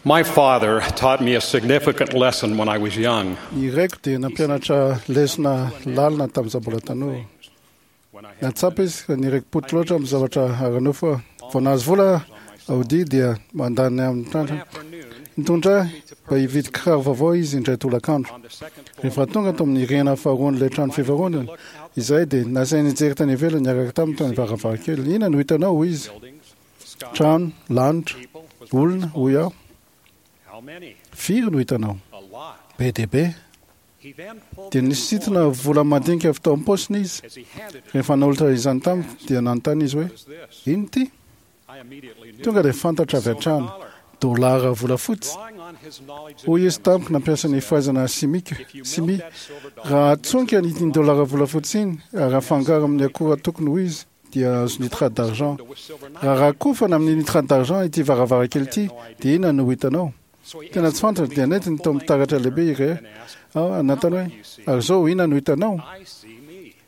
My father taught me a significant lesson when I was young. Ny raiko dia nampianatra lesona lalina tamin'izaho mbola tanora. Nahatsapa izy fa niraiki-poto loatra amin'ny zavatra ara-nofo aho. Vao nahazo vola Audi dia mandany amin'ny trandrana. Nitondra ahy mba hividy kiraro vaovao izy indray tolakandro. Rehefa tonga tao amin'ny rihana faharoan'ilay trano fivarotana izahay dia nasainy nijery tany ivelany niaraka taminy tany varavarankely. Inona no hitanao? hoy izy. Trano, lanitra, olona, hoy aho. Firy no hitanao? Be dia be. Dia nisintona vola madinika avy tao am-paosiny izy. Rehefa nanolotra izany tamiko, dia nanontany izy hoe, Inona ity? Tonga dia fantatro avy hatrany, dolara volafotsy. Hoy izy tamiko nampiasa ny fahaizana simika, simia, Raha atsonika iny dolara volafotsy iny ary afangaro amin'ny akora tokony ho izy, dia azo nitrate d'argent. Raha rakofana amin'ny nitrate d'argent ity varavarankely ity, dia inona no ho hitanao? Tena tsy fantatro, dia nentiny tao amin'ny taratra lehibe iray aho, nanontany hoe, Ary izao, inona no hitanao?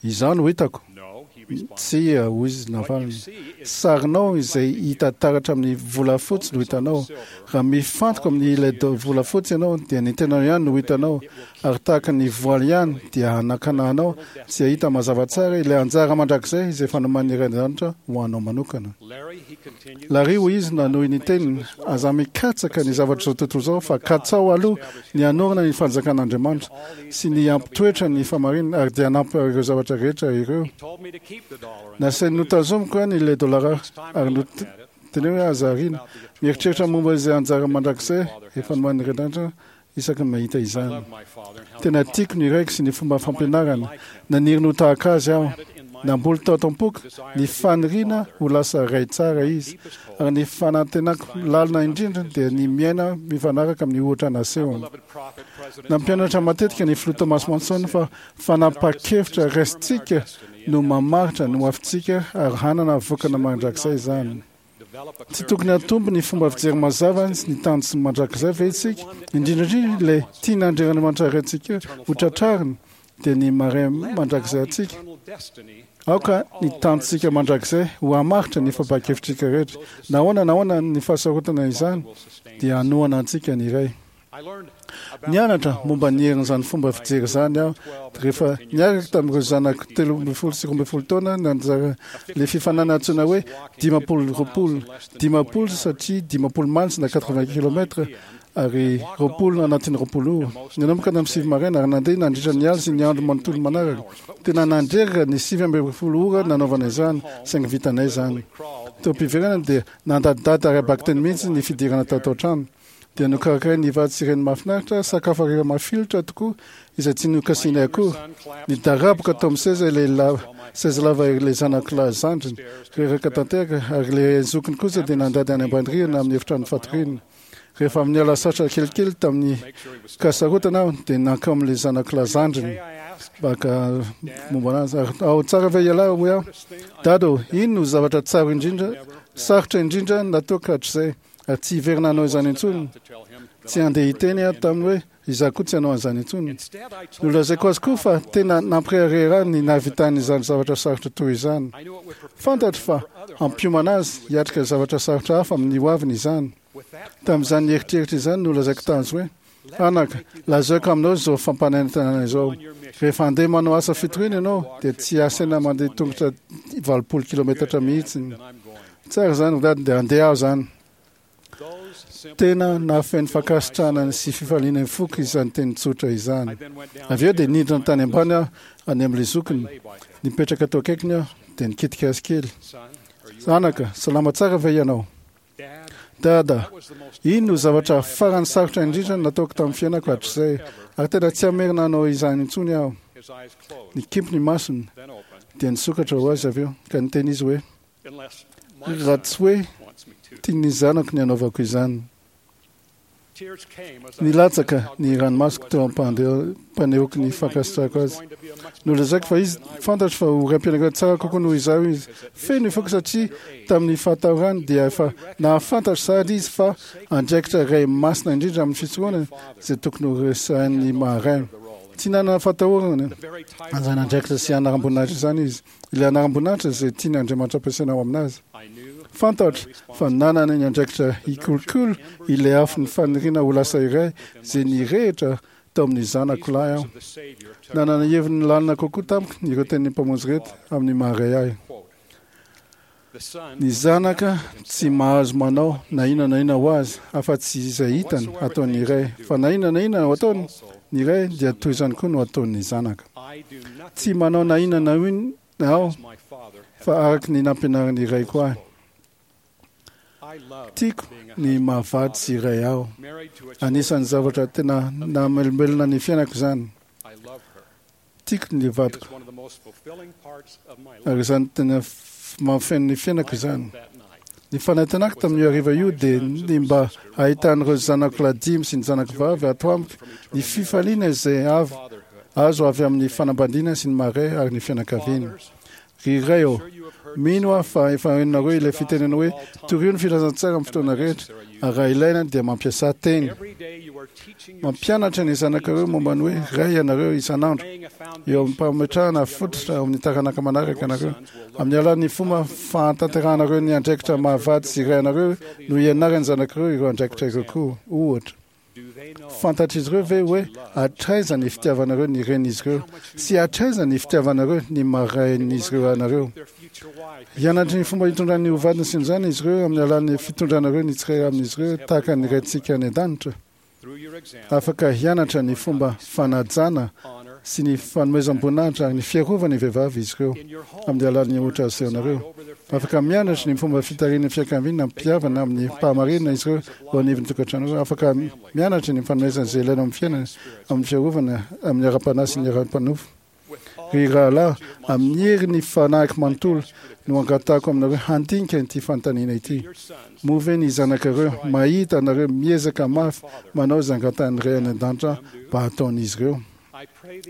Izaho no hitako. Tsia, hoy izy navaliny. Sarinao izay hita taratra amin'ny volafotsy no hitanao. Raha mifantoka amin'ny ilay volafotsy ianao, dia ny tenanao ihany no hitanao, ary tahaka ny voaly ihany, dia hanakana anao tsy hahita mazava tsara ilay anjara mandrakizay izay efa nomanin'ny Ray An-danitra ho anao manokana. Larry, hoy izy nanohy ny teniny, aza mikatsaka ny zavatr'izao tontolo izao, fa katsaho aloha ny hanorina ny fanjakan'Andriamanitra sy ny hampitoetra ny fahamarinana, ary dia hanampy ireo zavatra rehetra ireo. Nasainy notazomiko ihany ilay dolara ary noteneniny hoe aza ariana. Mieritreritra momba izay anjara mandrakizay efa nomanin'ny Ray An-danitra isaky ny mahita izany. Tena tiako ny raiko sy ny fomba fampianarany. Naniry ny ho tahaka azy aho. Namboly tao am-poko ny faniriana ho lasa ray tsara izy, ary ny fanantenako lalina indrindra dia ny miaina mifanaraka amin'ny ohatra nasehony. Nampianatra matetika ny Filoha Thomas Monson fa fanapahan-kevitra raisintsika no mamaritra ny hoavintsika ary hanana vokany mandrakizay izany. Tsy tokony hatombo ny fomba fijery mazava sy ny tanjona mandrakizay ve isika? Indrindra indrindra ilay tian'Andriamanitra Raintsika ho tratrarina, dia ny maha-Ray mandrakizay antsika. Aoka ny tanjontsika mandrakizay ho hamaritra ny fampahan-kevitrika rehetra. Na ahoana na ahoana ny fahasarotana izany, dia hanohana antsika ny Ray. Nianatra momba ny herin'izany fomba fijery izany aho rehefa niaraka tamin'ireo zanako 13 sy 12 taona nanjara ilay fifaninanana antsoina hoe 50 20, 50 satria 50 miles na 80 kilomètres ary 20 anatin'ny 20 ora. Nanomboka tamin'ny 9 maraina ary nandeha nandritra ny alina sy ny andro manontolo manaraka. Tena nandreraka ny 19 ora nanaovana izany, saingy vitanay izany. Teo am-piverenana dia nandadidady ara-bakiteny mihitsy ny fidirana tato an-trano. dia nokarakarain'ny vady sy reny mahafinaritra sakafo hariva mafilotra tokoa izay tsy nokasihinay akory. Nidaraboka tao amin'ny seza ilay lava, seza lava ilay zanako lahy zandriny, reraka tanteraka, ary ilay zokiny kosa dia nandady any ambany rihana amin'ny efitrano fatoriana. Rehefa avy niala sasatra kelikely tamin'ny kasarotana aho dia nankao amin'ilay zanako lahy zandriny mba haka momba anazy. Ary ao tsara ve ialahy hoy aho? Dada ô, ino no zavatra tsara indrindra, sarotra indrindra nataoko hatrizay? Ary tsy hiverina hanao izany intsony. Tsy handeha hiteny aho taminy hoe, Izaho koa tsy hanao an'izany intsony. Nolazaiko azy koa fa tena nampirehareha ahy ny nahavitany izany zavatra sarotra toy izany. Fantatro fa hampiomana azy hiatrika zavatra sarotra hafa amin'ny hoaviny izany. Tamin'izany eritreritra izany nolazaiko tazy hoe, Anaka, lazaiko aminao izao fampanantenana izao, rehefa handeha manao asa fitoriana ianao, dia tsy asaina mandeha tongotra 80 kilometatra mihitsy. Tsara izany ry dada, dia handeha aho izany. Tena nahafeno fankasitrahana sy fifaliana ny foko izany teny tsotra izany. Avy eo dia nidina tany ambany aho, any amin'ilay zokiny. Nipetraka teo akaikiny aho, dia nikitika azy kely. Anaka, salama tsara ve ianao? Dada, iny no zavatra farany sarotra indrindra nataoko tamin'ny fiainako hatrizay, ary tena tsy hamerina hanao izany intsony aho. Nikimpy ny masony, dia nisokatra ho azy avy eo, ka niteny izy hoe, Raha tsy hoe tian'ny zanako ny hanaovako izany. Nilatsaka ny ranomasoko teo am-panehoako ny fankasitrahako azy. Nolazaiko fa izy, fantatro fa ho raim-pianakaviana tsara kokoa noho izaho izy. Feno ny foko satria tamin'ny fahatahorany dia efa nahafantatra sahady izy fa andraikitra iray masina indrindra amin'ny fisoronana izay tokony ho resahin'ny maha-ray. Tsy nanana fahatahorana an'izany andraikitra sy anaram-boninahitra izany izy. Ilay anaram-boninahitra izay tian'Andriamanitra ampiasaina ao aminazy. Fantatro fa nanana ny andraikitra hikolokolo ilay afon'ny faniriana ho lasa iray izay nirehitra tao amin'ny zanako lahy aho. Nanana heviny lalina kokoa tamiko ireo tenin'ny Mpamonjy ireto amin'ny maha-ray ahy. Ny zanaka tsy mahazo manao na inona na inona ho azy afa-tsy izay hitany ataon'ny ray, fa na inona na inona ataony ny ray dia toy izany koa no ataon'ny zanaka. Tsy manao na inona na inona aho fa araka ny nampianarin'ny raiko ahy. Tiako ny maha-vady sy ray aho. Anisan'ny zavatra tena nahamelombelona ny fiainako izany. Tiako ny vadiko, ary izany tena mahafeno ny fiainako izany. Ny fanantenako tamin'io hariva io dia ny mba hahitan'ireo zanako lahy dimy sy ny zanako vavy ato amiko ny fifaliana izay avy azo avy amin'ny fanambadiana sy ny maha-ray ary ny fianakaviana. Ry Ray ô, mino aho fa efa henonareo ilay fitenenana hoe, Torio ny filazantsara amin'ny fotoana rehetra, ary raha ilaina dia mampiasà teny. Mampianatra ny zanakareo momba ny hoe Ray ianareo isan'andro, eo am-pametrahana fototra ao amin'ny taranaka manaraka ianareo. Amin'ny alalan'ny fomba fahatanterahanareo ny andraikitra maha-vady sy ray anareo no hianaran'ny zanakareo ireo andraikitra ireo koa. Ohatra. Fantatr'izy ireo ve hoe hatraiza ny fitiavanareo ny renin'izy ireo sy hatraiza ny fitiavanareo ny maha-rain'izy ireo anareo? Hianatra ny fomba hitondran'ny ho vadiny sy ny zanany izy ireo amin'ny alalan'ny fitondranareo ny tsirairay amin'izy ireo tahaka ny Raintsika any an-danitra. Afaka hianatra ny fomba fanajana sy ny fanomezam-boninahitra ary ny fiarovana ny vehivavy izy ireo amin'ny alalan'ny ohatra asehonareo. Afaka mianatra ny fomba fitarihan'ny fianakaviana amim-pitiavana amin'ny fahamarinana izy ireo eo anivon'ny tokantrano. Afaka mianatra ny fanomezana izay ilaina amin'ny fiainana, amin'ny fiarovana amin'ny ara-panahy sy ny ara-panofo. Ry rahalahy, amin'ny herin'ny fanahiko manontolo no angatahako aminareo handinika ity fanontaniana ity, Moa ve ny zanakareo mahita anareo miezaka mafy manao izay angatahin'ny Ray any An-danitra mba hataon'izy ireo?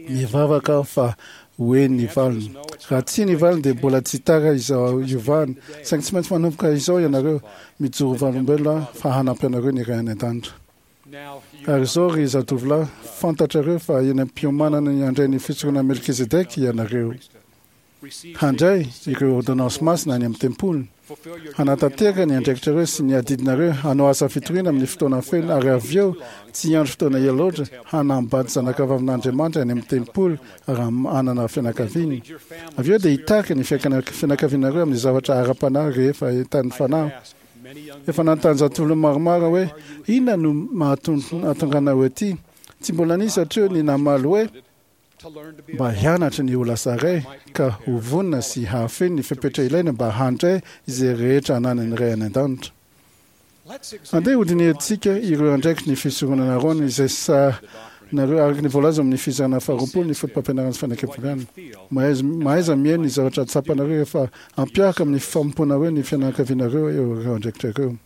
Mivavaka aho fa ho eny ny valiny. Raha tsia ny valiny dia mbola tsy tara izao hiovana. Saingy tsy maintsy manomboka izao ianareo. Mijoro vavolombelona aho fa hanampy anareo ny Ray any An-danitra. Ary izao ry zatovolahy, fantatrareo fa eny am-piomanana ny handray ny fisoronan'i Melkizedeka ianareo. Handray ireo ôrdônansy masina any amin'ny tempoly, hanatanteraka ny andraikitrareo sy ny adidinareo hanao asa fitoriana amin'ny fotoana feno ary avy eo, tsy hiandry fotoana ela loatra, hanambady zanakavavin'Andriamanitra any amin'ny tempoly ary hanana fianakaviana. Avy eo dia hitarika ny fianakavianareo amin'ny zavatra ara-panahy rehefa entanin'ny Fanahy. Efa nanontany zatovolona maromaro aho hoe, Inona no mahatonga anao ety? Tsy mbola nisy hatreo ny namaly hoe, mba hianatra ny ho lasa ray ka ho vonona sy hahafeno ny fepetra ilaina mba handray izay rehetra ananan'ny Ray any An-danitra. Andeha hodinihantsika ireo andraikitry ny Fisoronana Arona izay sahanareo araka ny voalaza ao amin'ny fizarana faharoapolo ny Fotopampianarana sy Fanekempihavanana. Mahaiza mihaino ny zavatra tsapanareo rehefa ampiaraka amin'ny fanompoanareo ny fianakavianareo ireo andraikitra ireo.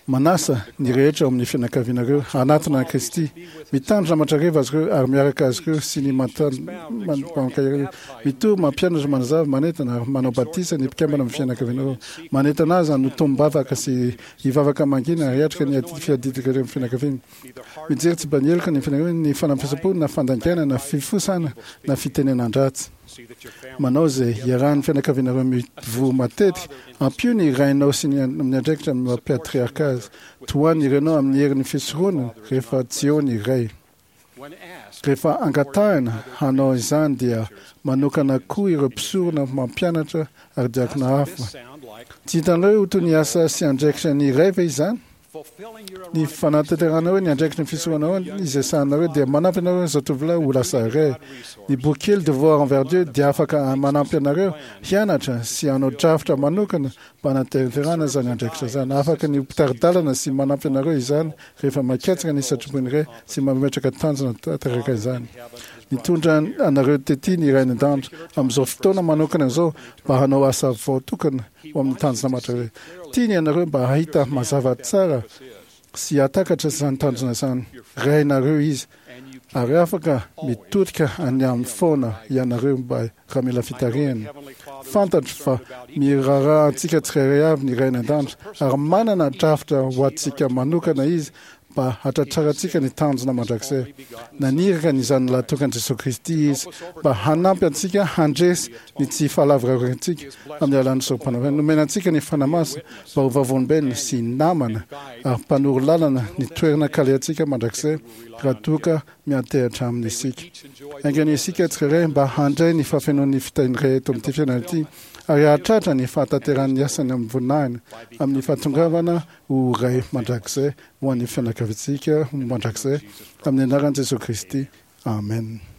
Manasa ny rehetra ao amin'ny fianakavianareo hanatona an'i Kristy. Mitandrina mandrakariva azy ireo ary miaraka azy ireo sy ny mankahery. Mitory, mampianatra, manazava, manentana ary manao batisa ny mpikambana amin'ny fianakavianareo. Manentana azy hanotom-bavaka sy hivavaka mangina ary hiatrika ny fiadidikareo amin'ny fianakaviana. Mijery tsy mba-heloka ny fianakaviana, ny fanamafisam-po na fandaingana na fifosana na fitenenan-dratsy. Manao izay hiarahan'ny fianakavianareo mivory matetika. Ampio ny rainao sy ny amin'ny andraikitra amin'ny maha patriarka azy. Tohano ny renao amin'ny herin'ny fisoronana rehefa tsy eo ny ray. Rehefa angatahina hanao izany dia manokana koa ireo mpisorona mampianatra ary diakona hafa. Tsy hitanareo ho toy ny asa sy andraikitra ny ray ve izany? Ny fanatanterahana ny andraikitry ny fisoronana izay sahaninareo dia manampy anareo zatovolahy ho lasa ray. Ny boky kely Devoir envers Dieu dia afaka manampy anareo hianatra sy hanao drafitra manokana mba hanatanterahana izany andraikitra izany. Afaka ny ho mpitari-dalana sy manampy anareo izany rehefa mikatsaka ny sitrapon'ny Ray sy mametraka tanjona tanteraka izany. Nitondra anareo tety ny Ray any An-danitra amin'izao fotoana manokana izao mba hanao asa voatokana ho amin'ny tanjona mandrakizay. Tiany ianareo mba hahita mazava tsara sy hahatakatra izany tanjona izany. Rainareo Izy, ary afaka mitodika any Aminy foana ianareo mba raha mila fitarihana. Fantatro fa miraharaha antsika tsirairay avy ny Ray any An-danitra, ary manana drafitra ho antsika manokana Izy. mba hatratrarantsika ny tanjona mandrakizay. Naniraka ny Zanany Lahitokan'i Jesoa Kristy Izy mba hanampy antsika handresy ny tsy fahalavorariantsika amin'ny alalan'ny sorom-panafahana. Nomena antsika ny Fanahy Masina mba ho vavolombelona sy namana ary mpanoro lalana ny toerana kalehantsika mandrakizay raha toa ka miantehatra Aminy isika. Enga anie isika tsirairay mba handray ny fahafenoan'ny fitahiany rehetra eto amin'ity fiainana ity ary hahatratra ny fahatanterahan'ny asany amin'ny voninahiny amin'ny fahatongavana ho Ray mandrakizay ho an'ny fianakaviantsika mandrakizay amin'ny anaran'i Jesoa Kristy. Amen.